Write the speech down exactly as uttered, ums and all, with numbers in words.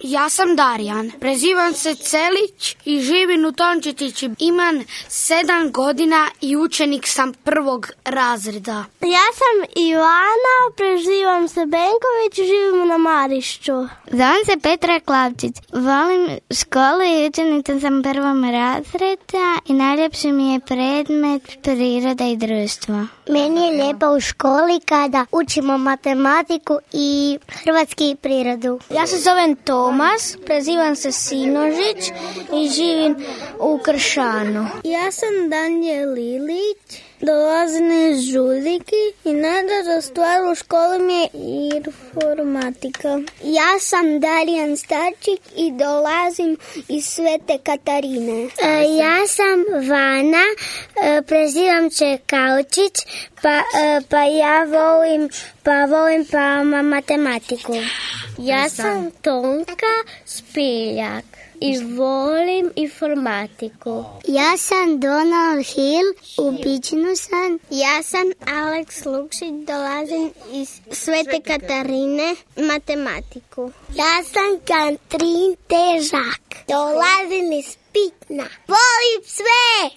Ja sam Darijan, prezivam se Celić i živim u Tončetići. Imam sedam godina i učenik sam prvog razreda. Ja sam Ivana, prezivam se Benković, živim na Marišću. Zovem se Petra Klavčić, volim školu i učenica sam prvog razreda i najljepši mi je predmet priroda i društvo. Meni je lijepo u školi kada učimo matematiku i hrvatski i prirodu. Ja se zovem Tomas, prezivam se Sinožić i živim u Kršanu. Ja sam Danijel Lilić, dolazim iz Žudiki i najdraža stvar u školi mi je informatika. Ja sam Darijan Starčik i dolazim iz Svete Katarine. E, ja sam Vana, e, prezivam se Kaučić, pa, e, pa ja volim, pa volim pa matematiku. Ja sam Tonka Spiljak i volim informatiku. Ja sam Donald Hill, u Bičinu sam. Ja sam Alex Lukšić, dolazim iz Svete Katarine, matematiku. Ja sam Katrin Težak, dolazim iz Pitna. Volim sve!